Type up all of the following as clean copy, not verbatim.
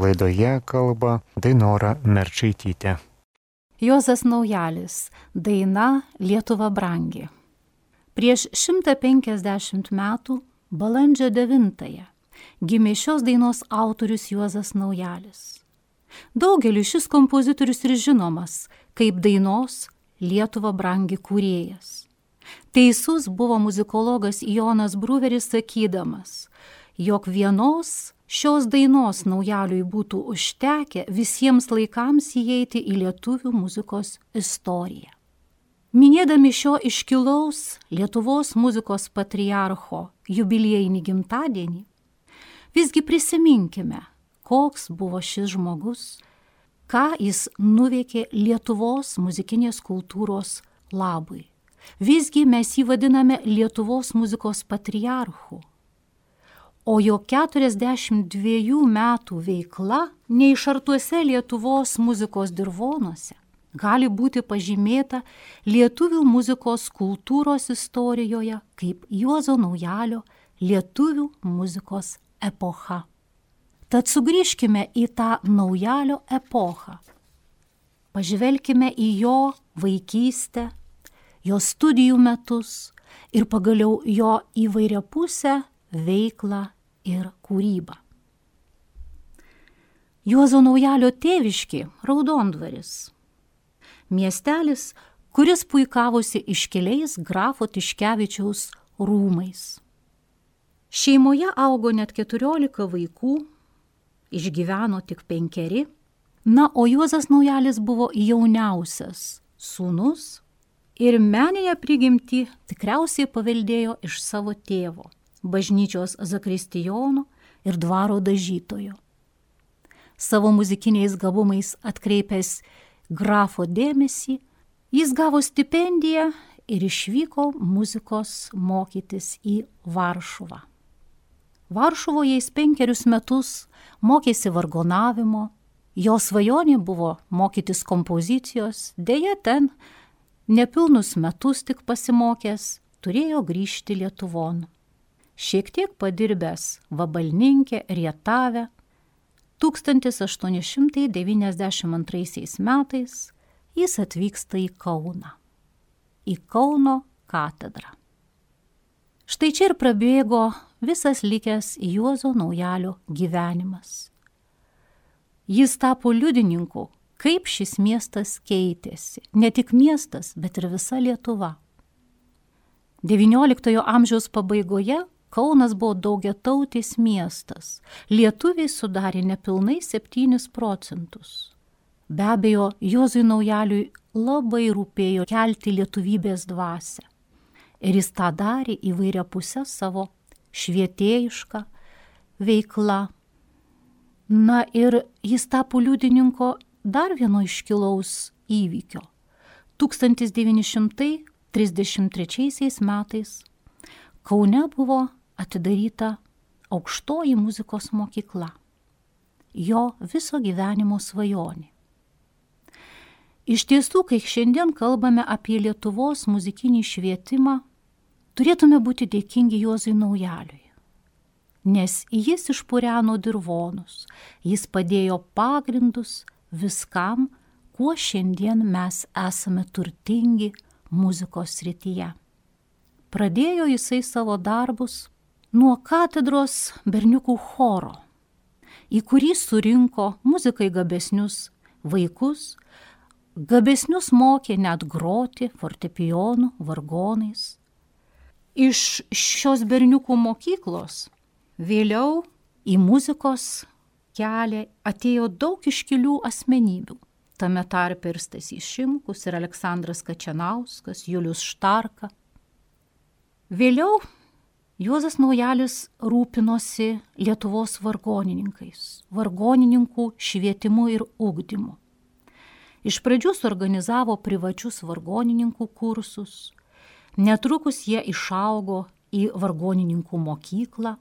Laidoje kalba Dainora Merčaitytė. Juozas Naujalis, daina Lietuva brangi. Prieš 150 metų, balandžio 9-ąją, gimė šios dainos autorius Juozas Naujalis. Daugeliui šis kompozitorius ir žinomas kaip dainos Lietuva brangi kūrėjas. Teisus buvo muzikologas Jonas Bruveris sakydamas, jog vienos šios dainos Naujaliui būtų užtekę visiems laikams įeiti į lietuvių muzikos istoriją. Minėdami šio iškilaus Lietuvos muzikos patriarcho jubiliejinį gimtadienį, visgi prisiminkime, koks buvo šis žmogus, ką jis nuveikė Lietuvos muzikinės kultūros labui. Visgi mes jį vadiname Lietuvos muzikos patriarchu, o jo 42 metų veikla neišartuose Lietuvos muzikos dirvonuose gali būti pažymėta lietuvių muzikos kultūros istorijoje kaip Juozo Naujalio lietuvių muzikos epocha. Tad sugrįžkime į tą Naujalio epochą. Pažvelkime į jo vaikystę, jo studijų metus ir pagaliau jo įvairiapusę veiklą ir kūrybą. Juozo Naujalio tėviškė Raudondvaris. Miestelis, kuris puikavosi iškiliais grafo Tiškevičiaus rūmais. Šeimoje augo net 14 vaikų, išgyveno tik 5, o Juozas Naujalis buvo jauniausias sūnus ir meninę prigimtį tikriausiai paveldėjo iš savo tėvo, bažnyčios zakristijono ir dvaro dažytojo. Savo muzikiniais gabumais atkreipęs grafo dėmesį, jis gavo stipendiją ir išvyko muzikos mokytis į Varšuvą. Varšuvoje jis 5 metus mokėsi vargonavimo, jo svajonė buvo mokytis kompozicijos, deja ten nepilnus metus tik pasimokęs, turėjo grįžti Lietuvon. Šiek tiek padirbęs vabalninke Rietave, 1892 metais jis atvyksta į Kauną, į Kauno katedrą. Štai čia ir prabėgo visas likęs Juozo Naujalio gyvenimas. Jis tapo liudininku, kaip šis miestas keitėsi. Ne tik miestas, bet ir visa Lietuva. XIX amžiaus pabaigoje Kaunas buvo daugiatautis miestas. Lietuviai sudarė nepilnai 7%. Be abejo, Juozui Naujaliui labai rūpėjo kelti lietuvybės dvasią. Ir jis tą darė įvairia pusę savo švietėjišką veiklą. Na ir jis tapo liudininko dar vieno iškilaus įvykio. 1933 metais Kaune buvo atidaryta aukštoji muzikos mokykla. Jo viso gyvenimo svajonė. Iš tiesų, kai šiandien kalbame apie Lietuvos muzikinį švietimą, turėtume būti dėkingi Juozui Naujaliui, nes jis išpureno dirvonus, jis padėjo pagrindus viskam, kuo šiandien mes esame turtingi muzikos srityje. Pradėjo jisai savo darbus nuo katedros berniukų choro, į kurį surinko muzikai gabesnius vaikus, gabesnius mokė net groti fortepijonu, vargonais. Iš šios berniukų mokyklos vėliau į muzikos kelią atėjo daug iškilių asmenybių. Tame tarpe ir Stasys Šimkus, ir Aleksandras Kačanauskas, Julius Štarka. Vėliau Juozas Naujalis rūpinosi Lietuvos vargonininkais, vargonininkų švietimu ir ugdymu. Iš pradžių suorganizavo privačius vargonininkų kursus, netrukus jie išaugo į vargonininkų mokyklą.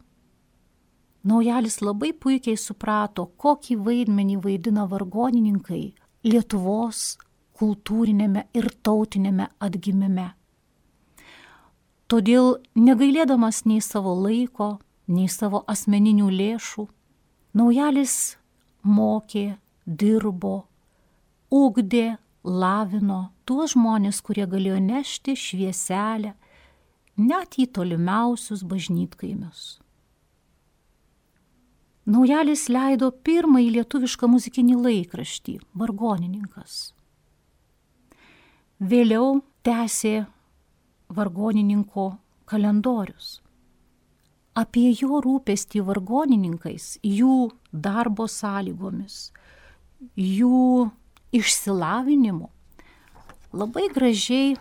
Naujalis labai puikiai suprato, kokį vaidmenį vaidina vargonininkai Lietuvos kultūrinėme ir tautinėme atgimime. Todėl, negailėdamas nei savo laiko, nei savo asmeninių lėšų, Naujalis mokė, dirbo, ugdė, lavino tuos žmonės, kurie galėjo nešti švieselę net į tolimiausius bažnytkaimius. Naujalis leido pirmąjį lietuvišką muzikinį laikraštį Vargonininkas. Vėliau tęsė vargonininko kalendorius. Apie jo rūpestį vargonininkais, jų darbo sąlygomis, jų išsilavinimu labai gražiai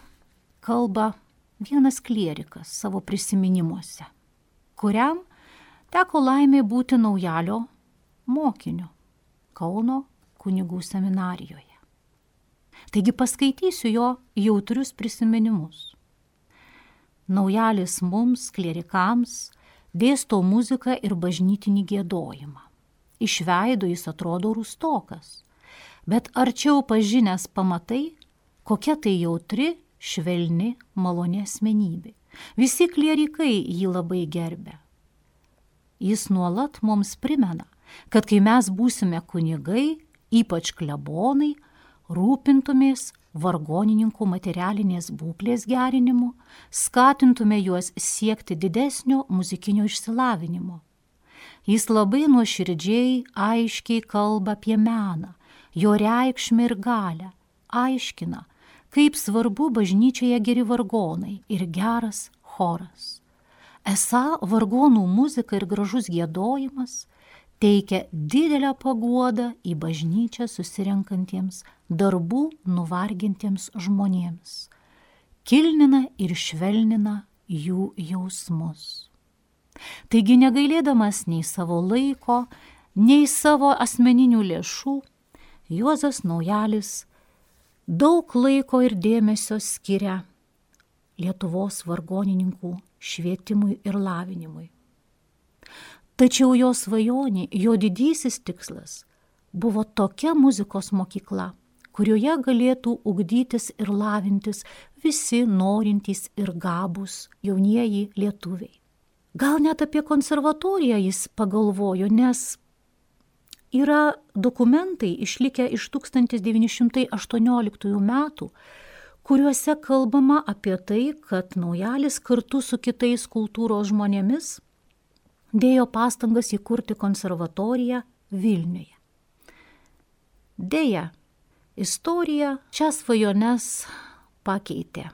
kalba vienas klierikas savo prisiminimuose, kuriam teko laimė būti Naujalio mokiniu Kauno kunigų seminarijoje. Taigi paskaitysiu jo jautrius prisiminimus. Naujalis mums, klierikams, dėsto muziką ir bažnytinį giedojimą. Iš veido jis atrodo rūstokas, bet arčiau pažinęs pamatai, kokia tai jautri, švelni, maloni asmenybė. Visi klierikai jį labai gerbia. Jis nuolat mums primena, kad kai mes būsime kunigai, ypač klebonai, rūpintumės vargonininkų materialinės būklės gerinimu, skatintume juos siekti didesnio muzikinio išsilavinimo. Jis labai nuoširdžiai, aiškiai kalba apie meną, jo reikšmę ir galią, aiškina, kaip svarbu bažnyčioje geri vargonai ir geras choras. Esą vargonų muzika ir gražus giedojimas teikia didelę paguodą į bažnyčią susirenkantiems darbų nuvargintiems žmonėms, kilnina ir švelnina jų jausmus. Taigi negailėdamas nei savo laiko, nei savo asmeninių lėšų, Juozas Naujalis daug laiko ir dėmesio skiria Lietuvos vargonininkų švietimui ir lavinimui. Tačiau jo svajonė, jo didysis tikslas buvo tokia muzikos mokykla, kurioje galėtų ugdytis ir lavintis visi norintys ir gabūs jaunieji lietuviai. Gal net apie konservatoriją jis pagalvojo, nes yra dokumentai išlikę iš 1918 metų, kuriuose kalbama apie tai, kad Naujalis kartu su kitais kultūros žmonėmis dėjo pastangas įkurti konservatoriją Vilniuje. Deja, istorija šias svajones pakeitė.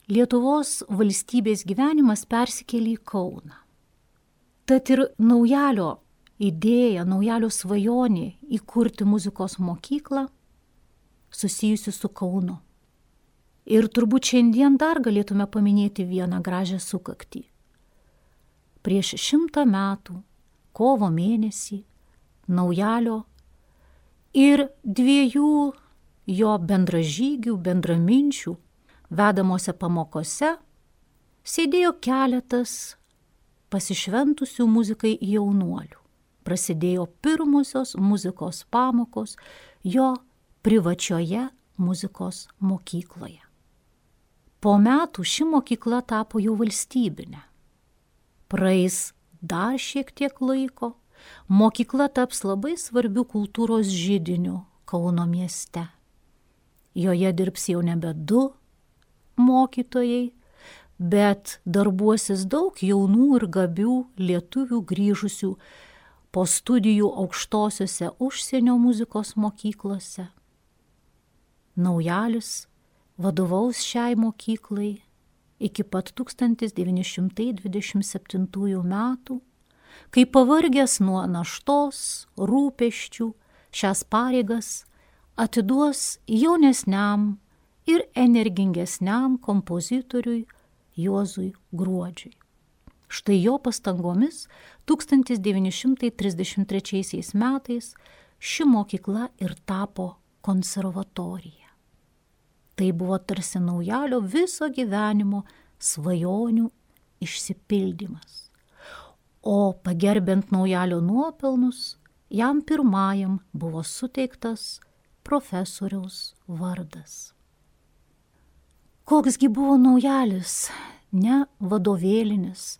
Lietuvos valstybės gyvenimas persikėlė į Kauną. Tad ir Naujalio idėja, Naujalio svajonė įkurti muzikos mokyklą susijusi su Kaunu. Ir turbūt šiandien dar galėtume paminėti vieną gražią sukaktį. Prieš 100 metų, kovo mėnesį, Naujalio ir 2 jo bendražygių, bendraminčių vedamose pamokose sėdėjo keletas pasišventusių muzikai jaunuolių. Prasidėjo pirmosios muzikos pamokos jo privačioje muzikos mokykloje. Po metų ši mokykla tapo jau valstybinė. Praeis dar šiek tiek laiko, mokykla taps labai svarbiu kultūros židiniu Kauno mieste. Joje dirbs jau nebe 2 mokytojai, bet darbuosis daug jaunų ir gabių lietuvių grįžusių po studijų aukštosiose užsienio muzikos mokyklose. Naujalis vadovaus šiai mokyklai iki pat 1927 metų, kai pavargęs nuo naštos, rūpesčių, šias pareigas atiduos jaunesniam ir energingesniam kompozitoriui Juozui Gruodžiui. Štai jo pastangomis 1933 metais ši mokykla ir tapo konservatorija. Tai buvo tarsi Naujalio viso gyvenimo svajonių išsipildymas. O pagerbent Naujalio nuopelnus, jam pirmajam buvo suteiktas profesoriaus vardas. Koksgi buvo Naujalis, ne vadovėlinis,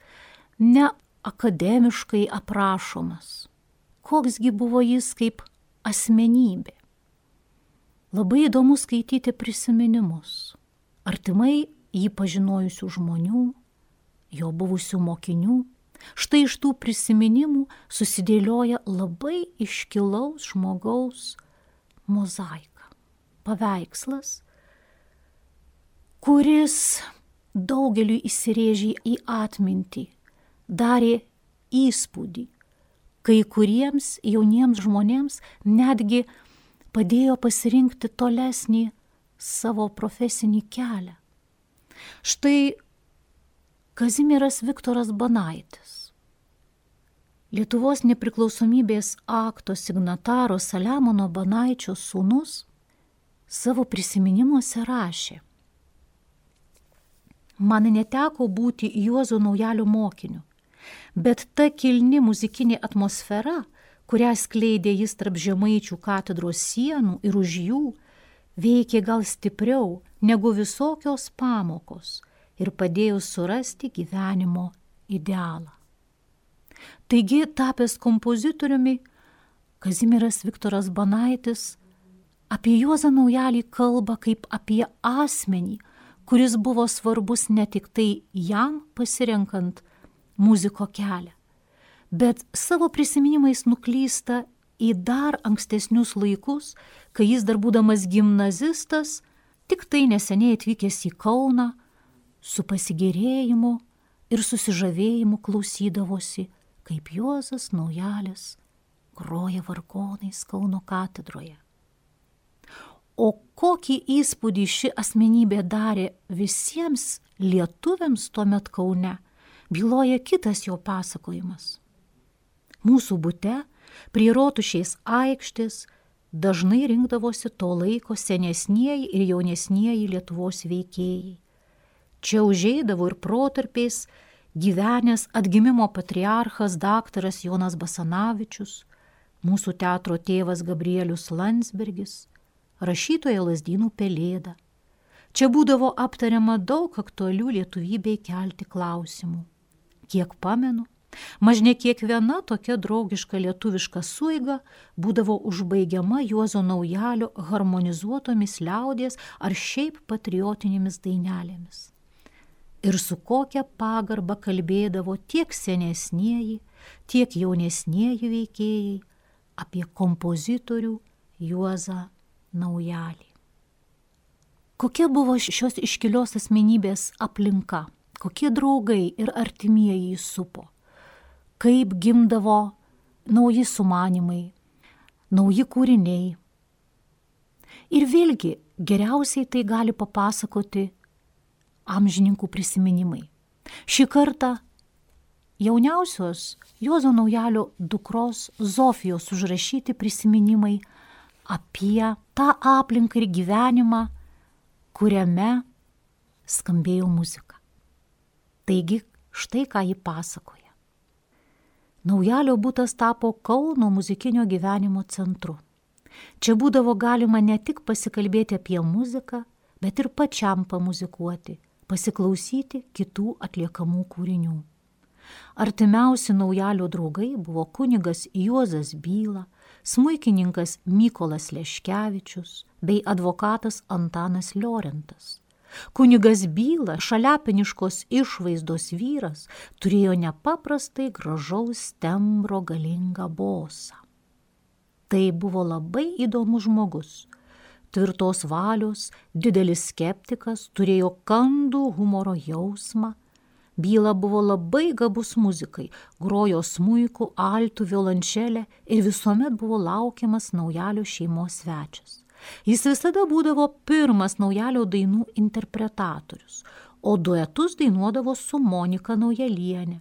ne akademiškai aprašomas. koksgi buvo jis kaip asmenybė. Labai įdomu skaityti prisiminimus, artimai jį pažinojusių žmonių, jo buvusių mokinių. Štai iš tų prisiminimų susidėlioja labai iškilaus žmogaus mozaika, paveikslas, kuris daugeliui įsirėžė į atmintį, darė įspūdį, kai kuriems jauniems žmonėms netgi padėjo pasirinkti tolesnį savo profesinį kelią. Štai Kazimieras Viktoras Banaitis, Lietuvos nepriklausomybės akto signataro Saliamono Banaičio sūnus, savo prisiminimuose rašė: man neteko būti Juozo Naujalio mokiniu, bet ta kilni muzikinė atmosfera, kurią skleidė jis tarp Žemaičių katedros sienų ir už jų, veikė gal stipriau negu visokios pamokos ir padėjo surasti gyvenimo idealą. Taigi, tapęs kompozitoriumi, Kazimieras Viktoras Banaitis apie Juozą Naujalį kalba kaip apie asmenį, kuris buvo svarbus ne tik tai jam pasirenkant muziko kelią, bet savo prisiminimais nuklysta į dar ankstesnius laikus, kai jis dar būdamas gimnazistas, tik tai neseniai atvykęs į Kauną, su pasigėrėjimu ir susižavėjimu klausydavosi, kaip Juozas Naujalis groja vargonais Kauno katedroje. O kokį įspūdį ši asmenybė darė visiems lietuviams tuomet Kaune, byloja kitas jo pasakojimas. Mūsų bute prie Rotušės aikštės dažnai rinkdavosi to laiko senesnieji ir jaunesnieji Lietuvos veikėjai. Čia užeidavo ir protarpiais gyvenęs atgimimo patriarchas daktaras Jonas Basanavičius, mūsų teatro tėvas Gabrielius Landsbergis, rašytoja Lazdynų Pelėda. Čia būdavo aptariama daug aktualių lietuvybei kelti klausimų. Kiek pamenu, mažne kiekviena tokia draugiška lietuviška suiga būdavo užbaigiama Juozo Naujalio harmonizuotomis liaudies ar šiaip patriotinėmis dainelėmis. Ir su kokia pagarba kalbėdavo tiek senesnieji, tiek jaunesnieji veikėjai apie kompozitorių Juozą Naujalį. Kokia buvo šios iškilios asmenybės aplinka, kokie draugai ir artimieji jį supo, kaip gimdavo nauji sumanimai, nauji kūriniai. Ir vėlgi geriausiai tai gali papasakoti amžininkų prisiminimai. Šį kartą jauniausios Juozo Naujalio dukros Zofijos užrašyti prisiminimai apie tą aplinką ir gyvenimą, kuriame skambėjo muzika. Taigi, štai ką ji pasakoja. Naujalio butas tapo Kauno muzikinio gyvenimo centru. Čia būdavo galima ne tik pasikalbėti apie muziką, bet ir pačiam pamuzikuoti, pasiklausyti kitų atliekamų kūrinių. Artimiausi Naujalio draugai buvo kunigas Juozas Byla, smuikininkas Mykolas Leškevičius bei advokatas Antanas Liorentas. Kunigas Byla, šaliapiniškos išvaizdos vyras, turėjo nepaprastai gražaus tembro galingą bosą. Tai buvo labai įdomus žmogus. Tvirtos valios, didelis skeptikas, turėjo kandų humoro jausmą. Byla buvo labai gabus muzikai, grojo smuiku, altu, violončelę ir visuomet buvo laukiamas Naujalio šeimos svečias. Jis visada būdavo pirmas Naujalio dainų interpretatorius, o duetus dainuodavo su Monika Naujalienė.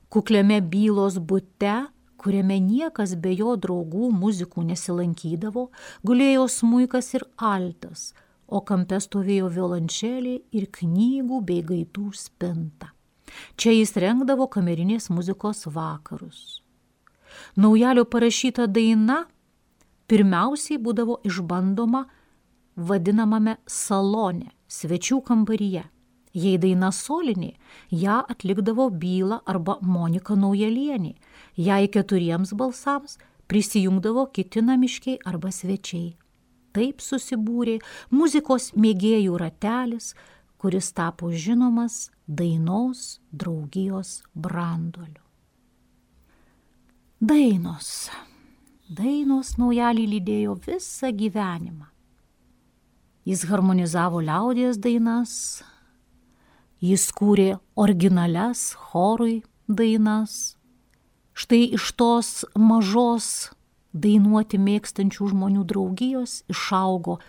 Kukliame Bylos bute, kuriame niekas be jo draugų muzikų nesilankydavo, gulėjo smuikas ir altas, o kampe stovėjo violončelė ir knygų bei gaitų spinta. Čia jis rengdavo kamerinės muzikos vakarus. Naujalio parašyta daina pirmiausiai būdavo išbandoma vadinamame salone, svečių kambaryje. Jei daina solinė, ją atlikdavo Byla arba Monika Naujalienė, jei 4 balsams prisijungdavo kiti namiškiai arba svečiai. Taip susibūrė muzikos mėgėjų ratelis, kuris tapo žinomas dainos draugijos branduoliu. Dainos Naujalį lydėjo visą gyvenimą. Jis harmonizavo liaudies dainas, jis kūrė originalias chorui dainas. Štai iš tos mažos dainuoti mėgstančių žmonių draugijos išaugo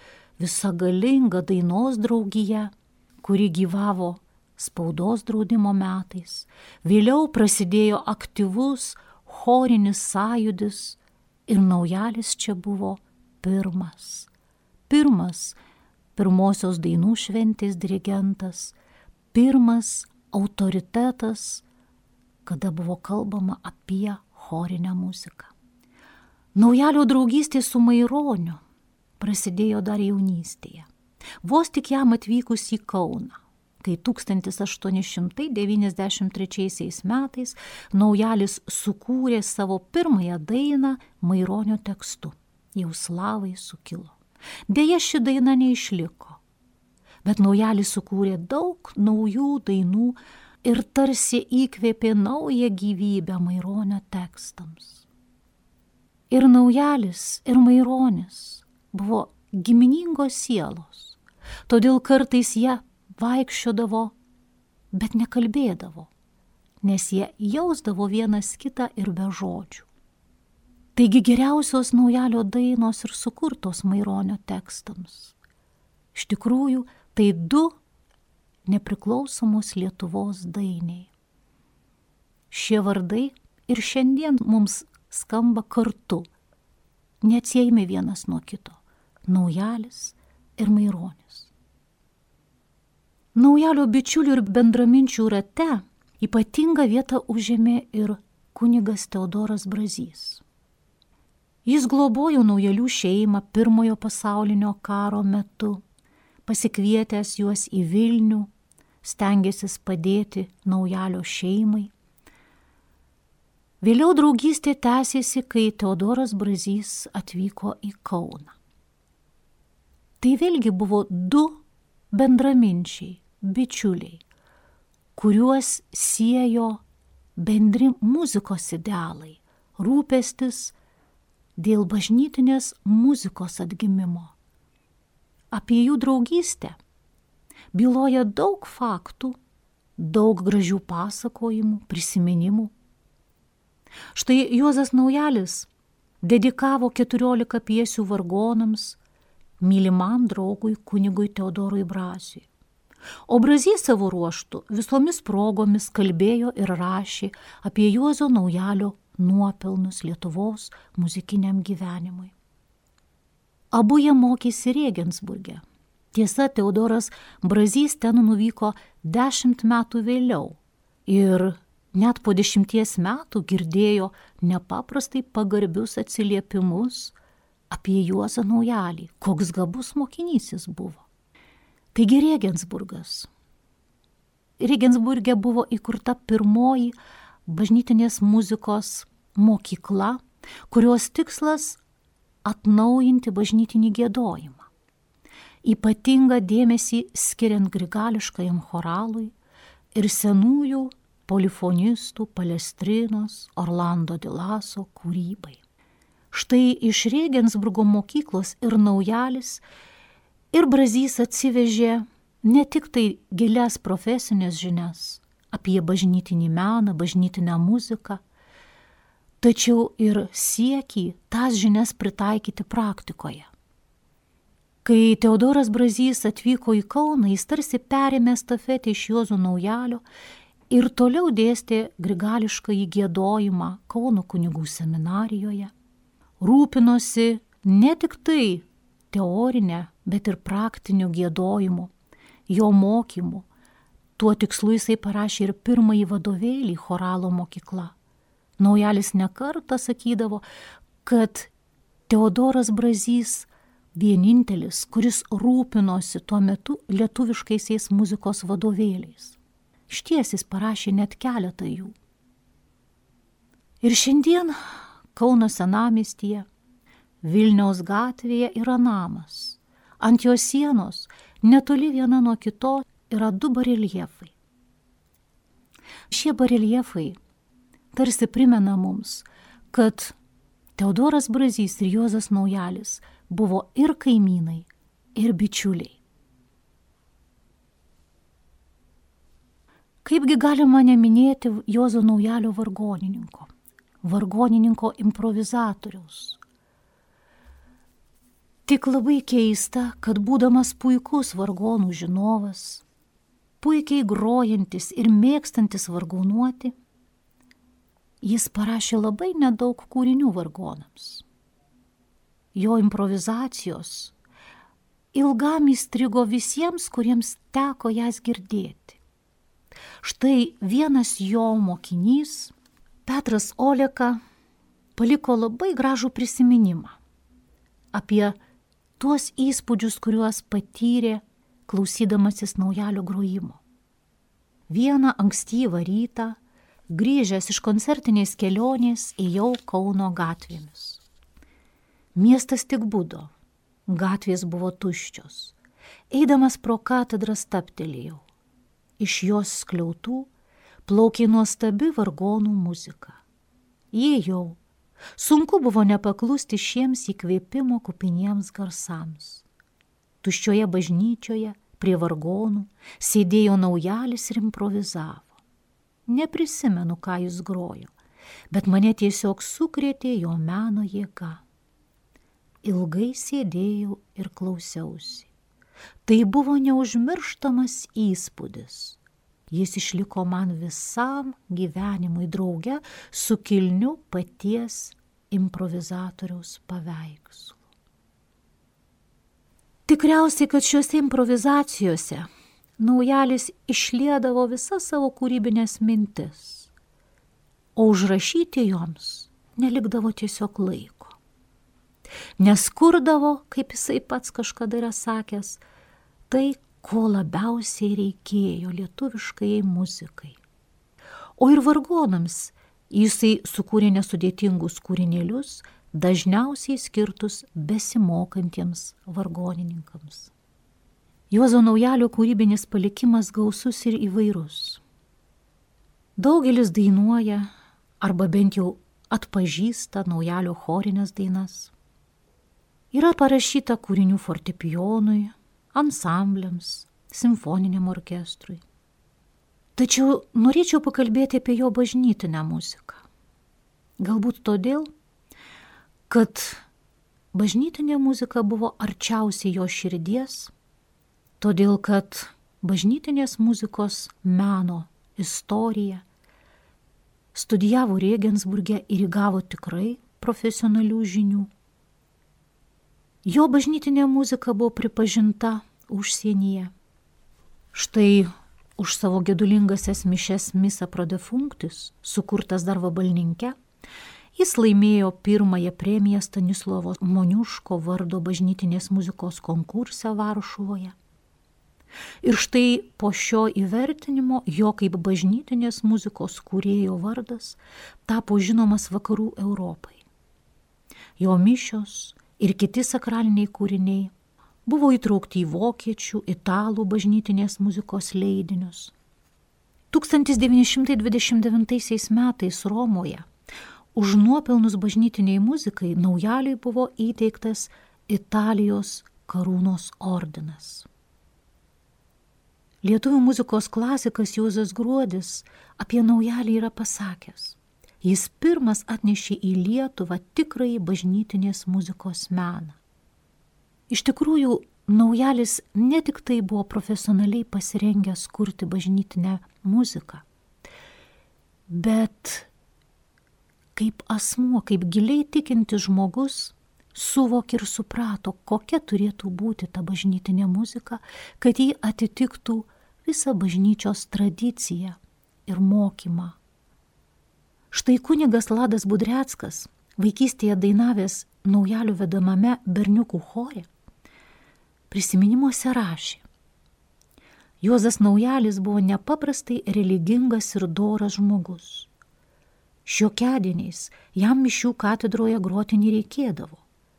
visa galinga dainos draugija, kuri gyvavo spaudos draudimo metais. Vėliau prasidėjo aktyvus chorinis sąjūdis ir Naujalis čia buvo pirmosios dainų šventės dirigentas, pirmas autoritetas, kada buvo kalbama apie chorinę muziką. Naujalio draugystė su Maironiu prasidėjo dar jaunystėje. Vos tik jam atvykus į Kauną, kai 1893 metais Naujalis sukūrė savo pirmąją dainą Maironio tekstu „Jau slavai sukilo". Deja, ši daina neišliko, bet Naujalis sukūrė daug naujų dainų ir tarsi įkvėpė naują gyvybę Maironio tekstams. Ir Naujalis, ir Maironis buvo giminingos sielos, todėl kartais jie vaikščiodavo, bet nekalbėdavo, nes jie jausdavo vienas kitą ir be žodžių. Taigi geriausios Naujalio dainos ir sukurtos Maironio tekstams. Iš tikrųjų, tai du nepriklausomos Lietuvos dainiai. Šie vardai ir šiandien mums skamba kartu, neatsiejami vienas nuo kito – Naujalis ir Maironis. Naujalio bičiulių ir bendraminčių rate ypatingą vietą užėmė ir kunigas Teodoras Brazys. Jis globojo Naujalių šeimą Pirmojo pasaulinio karo metu, pasikvietęs juos į Vilnių, stengėsis padėti Naujalio šeimai. Vėliau draugystė tęsėsi, kai Teodoras Brazys atvyko į Kauną. Tai vėlgi buvo du bendraminčiai, bičiuliai, kuriuos siejo bendri muzikos idealai, rūpestis dėl bažnytinės muzikos atgimimo. Apie jų draugystę byloja daug faktų, daug gražių pasakojimų, prisiminimų. Štai Juozas Naujalis dedikavo 14 pjesių vargonams mylimam draugui kunigui Teodorui Braziui. O Brazys savo ruožtu visomis progomis kalbėjo ir rašė apie Juozo Naujalio nuopelnus Lietuvos muzikiniam gyvenimui. Abu jie mokėsi Regensburge. Tiesa, Teodoras Brazys ten nuvyko 10 metų vėliau ir net po 10 metų girdėjo nepaprastai pagarbius atsiliepimus apie Juozą Naujalį, koks gabus mokinys jis buvo. Taigi Regensburgas. Regensburge buvo įkurta pirmoji bažnytinės muzikos mokykla, kurios tikslas atnaujinti bažnytinį giedojimą. Ypatingą dėmesį skiriant grigališkajam choralui ir senųjų polifonistų Palestrinos, Orlando de Laso kūrybai. Štai iš Regensburgo mokyklos ir Naujalis, ir Brazys atsivežė ne tik tai gilias profesinės žinias apie bažnytinį meną, bažnytinę muziką, tačiau ir siekį tas žinias pritaikyti praktikoje. Kai Teodoras Brazys atvyko į Kauną, jis tarsi perėmė stafetę iš Juozo Naujalio ir toliau dėstė grigališkąjį giedojimą Kauno kunigų seminarijoje. Rūpinosi ne tik tai teorinę, bet ir praktiniu giedojimu, jo mokymu. Tuo tikslu jisai parašė ir pirmąjį vadovėlį choralo mokykla. Naujalis nekartą sakydavo, kad Teodoras Brazys vienintelis, kuris rūpinosi tuo metu lietuviškaisiais muzikos vadovėliais. Išties jis parašė net keletą jų. Ir šiandien, Kauno senamiestyje, Vilniaus gatvėje yra namas. Ant jo sienos, netoli viena nuo kitos, yra 2 bareljefai. Šie bareljefai tarsi primena mums, kad Teodoras Brazys ir Juozas Naujalis buvo ir kaimynai, ir bičiuliai. Kaipgi galima neminėti Juozo Naujalio vargonininko improvizatoriaus. Tik labai keista, kad būdamas puikus vargonų žinovas, puikiai grojantis ir mėgstantis vargonuoti, jis parašė labai nedaug kūrinių vargonams. Jo improvizacijos ilgam įstrigo visiems, kuriems teko jas girdėti. Štai vienas jo mokinys, Petras Oleka, paliko labai gražų prisiminimą apie tuos įspūdžius, kuriuos patyrė klausydamasis Naujalio grojimo. Vieną ankstyvą rytą, grįžęs iš koncertinės kelionės, ėjau Kauno gatvėmis. Miestas tik budo, gatvės buvo tuščios. Eidamas pro katedrą stabtelėjau. Iš jos skliautų plaukė nuostabi vargonų muzika. Įėjau. Sunku buvo nepaklusti šiems įkvėpimo kupiniems garsams. Tuščioje bažnyčioje prie vargonų sėdėjo Naujalis ir improvizavo. Neprisimenu, ką jis grojo, bet mane tiesiog sukrėtė jo meno jėga. Ilgai sėdėjau ir klausiausi. Tai buvo neužmirštamas įspūdis. Jis išliko man visam gyvenimui drauge su kilniu paties improvizatoriaus paveikslu. Tikriausiai, kad šiuose improvizacijose Naujalis išliedavo visas savo kūrybinės mintis, o užrašyti joms nelikdavo tiesiog laiko. Neskurdavo, kaip jisai pats kažkada yra sakęs, tai, ko labiausiai reikėjo lietuviškai muzikai. O ir vargonams jisai sukūrė nesudėtingus kūrinėlius, dažniausiai skirtus besimokantiems vargonininkams. Juozo Naujalio kūrybinis palikimas gausus ir įvairus. Daugelis dainuoja arba bent jau atpažįsta Naujalio chorinės dainas. Yra parašyta kūrinių fortepijonui, ansambliams, simfoniniam orkestrui. Tačiau norėčiau pakalbėti apie jo bažnytinę muziką. Galbūt todėl, kad bažnytinė muzika buvo arčiausiai jo širdies, todėl kad bažnytinės muzikos meno istoriją studijavo Regensburge ir įgavo tikrai profesionalių žinių. Jo bažnytinė muzika buvo pripažinta užsienyje. Štai už savo gedulingasias mišes Missa pro defunctis, sukurtas dar Vabalninke, jis laimėjo pirmąją premiją Stanislovo Moniuško vardo bažnytinės muzikos konkurse Varšuvoje. Ir štai po šio įvertinimo jo kaip bažnytinės muzikos kūrėjo vardas tapo žinomas vakarų Europai. Jo mišios ir kiti sakraliniai kūriniai buvo įtraukti į vokiečių, italų bažnytinės muzikos leidinius. 1929 metais Romoje už nuopelnus bažnytiniai muzikai Naujaliui buvo įteiktas Italijos karūnos ordinas. Lietuvių muzikos klasikas Juozas Gruodis apie Naujalį yra pasakęs: jis pirmas atnešė į Lietuvą tikrąjį bažnytinės muzikos meną. Iš tikrųjų, Naujalis ne tik tai buvo profesionaliai pasirengęs kurti bažnytinę muziką, bet kaip asmuo, kaip giliai tikintis žmogus, suvokė ir suprato, kokia turėtų būti ta bažnytinė muzika, kad ji atitiktų visą bažnyčios tradiciją ir mokymą. Štai kunigas Ladas Budreckas, vaikystėje dainavęs Naujalio vedamame berniukų chore, prisiminimuose rašė: Juozas Naujalis buvo nepaprastai religingas ir doras žmogus. Šiokiadieniais jam mišių katedroje groti nereikėdavo.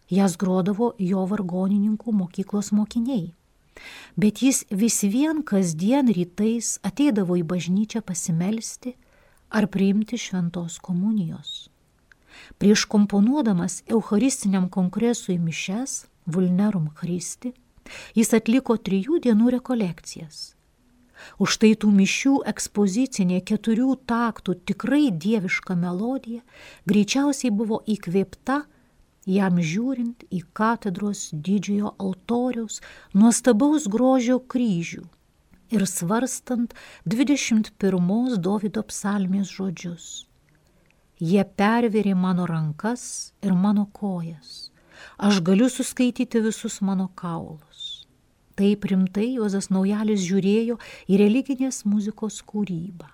Jas grodavo jo vargonininkų mokyklos mokiniai. Bet jis vis vien kasdien rytais ateidavo į bažnyčią pasimelsti ar priimti šventos komunijos. Prieš komponuodamas eucharistiniam kongresui mišes, Vulnerum Christi, jis atliko 3 dienų rekolekcijas. Už tai tų mišių ekspozicinė 4 taktų tikrai dieviška melodija greičiausiai buvo įkvėpta jam žiūrint į katedros didžiojo altoriaus nuostabaus grožio kryžių ir svarstant 21 Dovydo psalmės žodžius. Jie pervėrė mano rankas ir mano kojas. Aš galiu suskaityti visus mano kaulus. Taip rimtai Juozas Naujalis žiūrėjo į religinės muzikos kūrybą.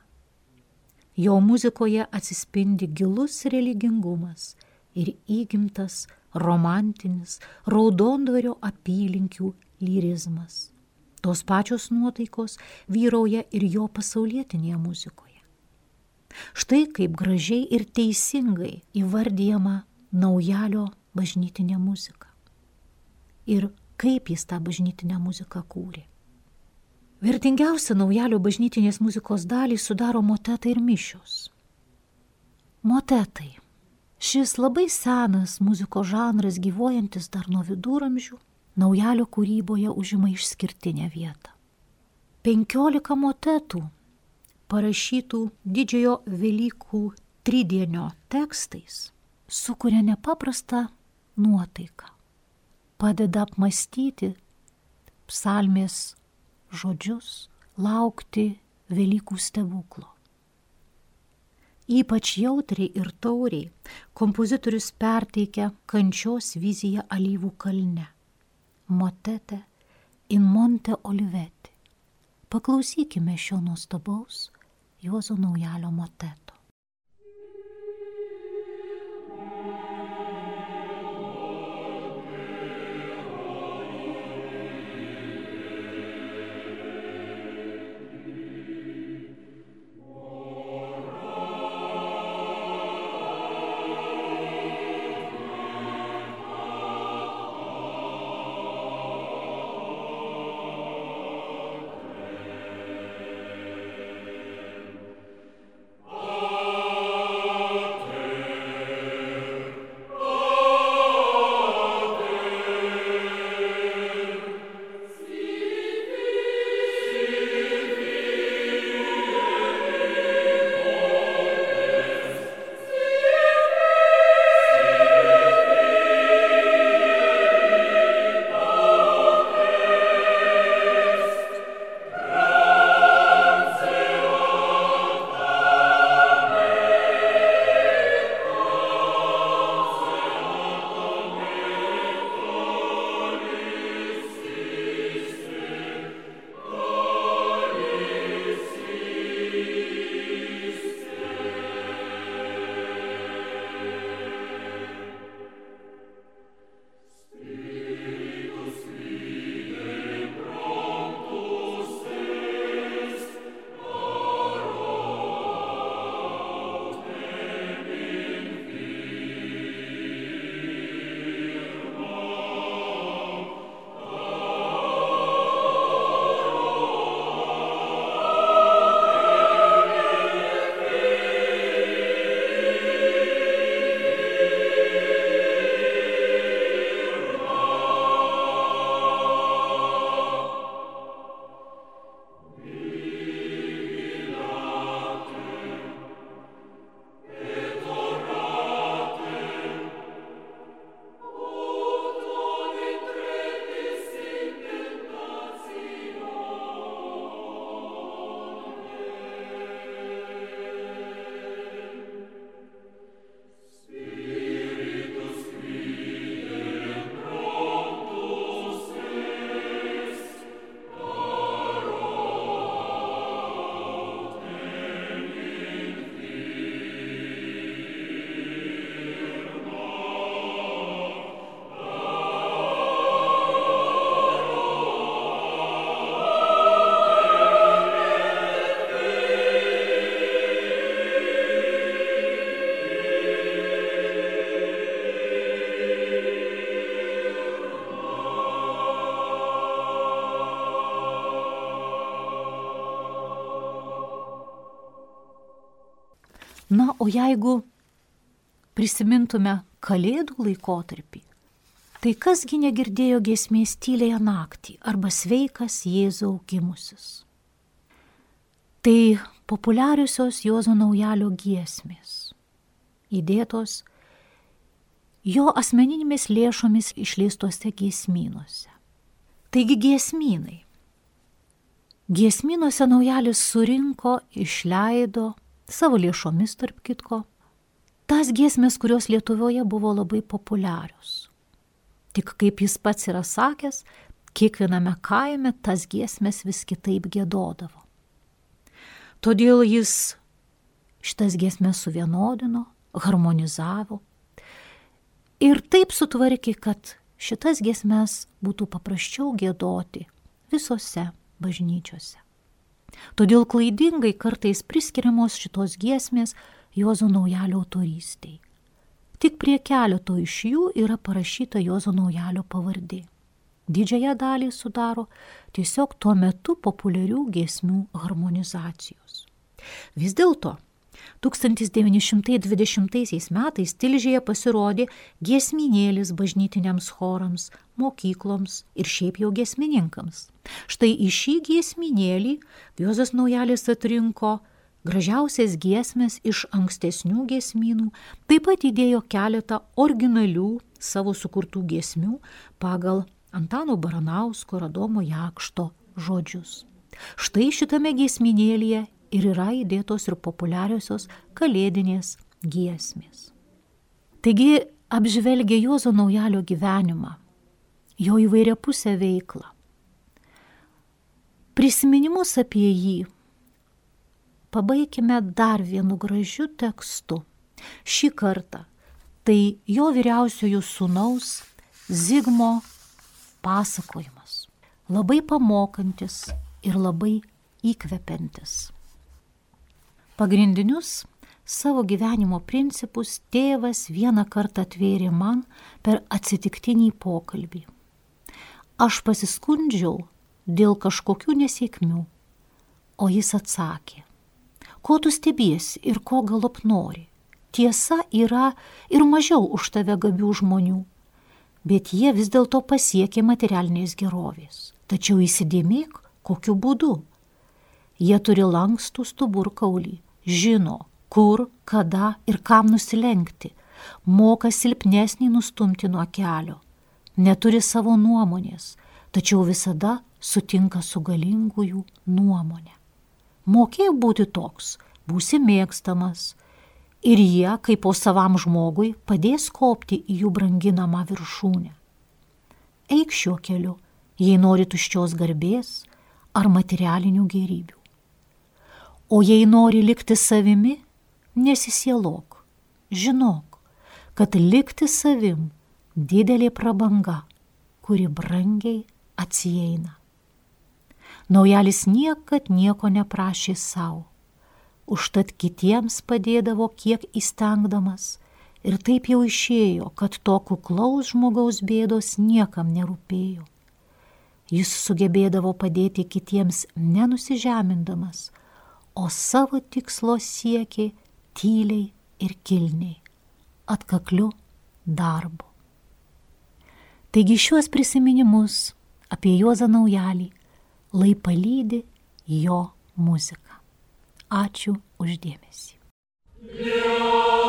Jo muzikoje atsispindi gilus religingumas ir įgimtas romantinis Raudondvario apylinkių lyrizmas. Tos pačios nuotaikos vyrauja ir jo pasaulietinėje muzikoje. Štai kaip gražiai ir teisingai įvardyjama Naujalio bažnytinė muzika. Ir kaip jis tą bažnytinę muziką kūrė. Vertingiausia Naujalio bažnytinės muzikos dalį sudaro motetai ir mišios. Motetai. Šis labai senas muzikos žanras, gyvuojantis dar nuo viduramžių, Naujalio kūryboje užima išskirtinę vietą. 15 motetų, parašytų didžiojo Velykų tridienio tekstais, sukuria nepaprastą nuotaiką, padeda apmąstyti psalmės žodžius, laukti Velykų stebuklo. Ypač jautriai ir tauriai kompozitorius perteikia kančios viziją Alyvų kalne. Motete in Monte Oliveti. Paklausykime šio nuostabaus Juozo Naujalio moteto. Oh Na, o jeigu prisimintume Kalėdų laikotarpį, tai kasgi negirdėjo giesmės tyliąją naktį arba sveikas Jėzau gimusis. Tai populiariosios Juozo Naujalio giesmės, įdėtos jo asmeninėmis lėšomis išleistose giesmynuose. Taigi giesmynai. Giesmynuose Naujalis surinko, išleido savo lėšomis tarp kitko tas giesmės, kurios Lietuvoje buvo labai populiarios. Tik kaip jis pats yra sakęs, kiekviename kaime tas giesmės vis kitaip giedodavo. Todėl jis šitas giesmės suvienodino, harmonizavo ir taip sutvarkė, kad šitas giesmės būtų paprasčiau giedoti visose bažnyčiose. Todėl klaidingai kartais priskiriamos šitos giesmės Juozo Naujalio autorystei. Tik prie keleto iš jų yra parašyta Juozo Naujalio pavardė. Didžiąją dalį sudaro tiesiog tuo metu populiarių giesmių harmonizacijos. Vis dėlto 1920 metais Tilžėje pasirodė giesminėlis bažnytiniams chorams, mokykloms ir šiaip jau giesmininkams. Štai į šį giesminėlį Juozas Naujalis atrinko gražiausias giesmės iš ankstesnių giesmynų, taip pat įdėjo keletą originalių savo sukurtų giesmių pagal Antano Baranausko ir Adomo Jakšto žodžius. Štai šitame giesminėlyje ir yra įdėtos ir populiariosios kalėdinės giesmės. Taigi apžvelgia Juozo Naujalio gyvenimą, jo įvairiapusę veiklą. Prisiminimus apie jį pabaikime dar vienu gražiu tekstu. Šį kartą tai jo vyriausiojo sūnaus Zigmo pasakojimas. Labai pamokantis ir labai įkvepiantis. Pagrindinius savo gyvenimo principus tėvas vieną kartą atvėrė man per atsitiktinį pokalbį. Aš pasiskundžiau dėl kažkokių nesėkmių, o jis atsakė: ko tu stebiesi ir ko galop nori? Tiesa, yra ir mažiau už tave gabių žmonių, bet jie vis dėlto pasiekė materialinės gerovės. Tačiau įsidėmėk, kokiu būdu. Jie turi lankstų stuburkaulį, žino, kur, kada ir kam nusilenkti, moka silpnesnį nustumti nuo kelio, neturi savo nuomonės, tačiau visada sutinka su galingųjų nuomonė. Mokėk būti toks, būsi mėgstamas, ir jie, kaip po savam žmogui, padės kopti į jų branginamą viršūnę. Eik šiuo keliu, jei nori tuščios garbės ar materialinių gėrybių. O jei nori likti savimi, nesisielok. Žinok, kad likti savim didelė prabanga, kuri brangiai atsieina. Naujalis niekad nieko neprašė savo, užtat kitiems padėdavo kiek įstengdamas, ir taip jau išėjo, kad to kuklaus žmogaus bėdos niekam nerūpėjo. Jis sugebėdavo padėti kitiems nenusižemindamas, o savo tikslo siekė tyliai ir kilniai, atkakliu darbu. Taigi šiuos prisiminimus apie Juozą Naujalį lai palydi jo muzika. Ačiū už dėmesį. Grazie.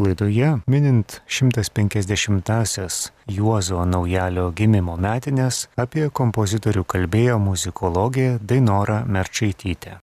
Laidoje, minint 150-asias Juozo Naujalio gimimo metinės, apie kompozitorių kalbėjo muzikologė Dainora Merčaitytė.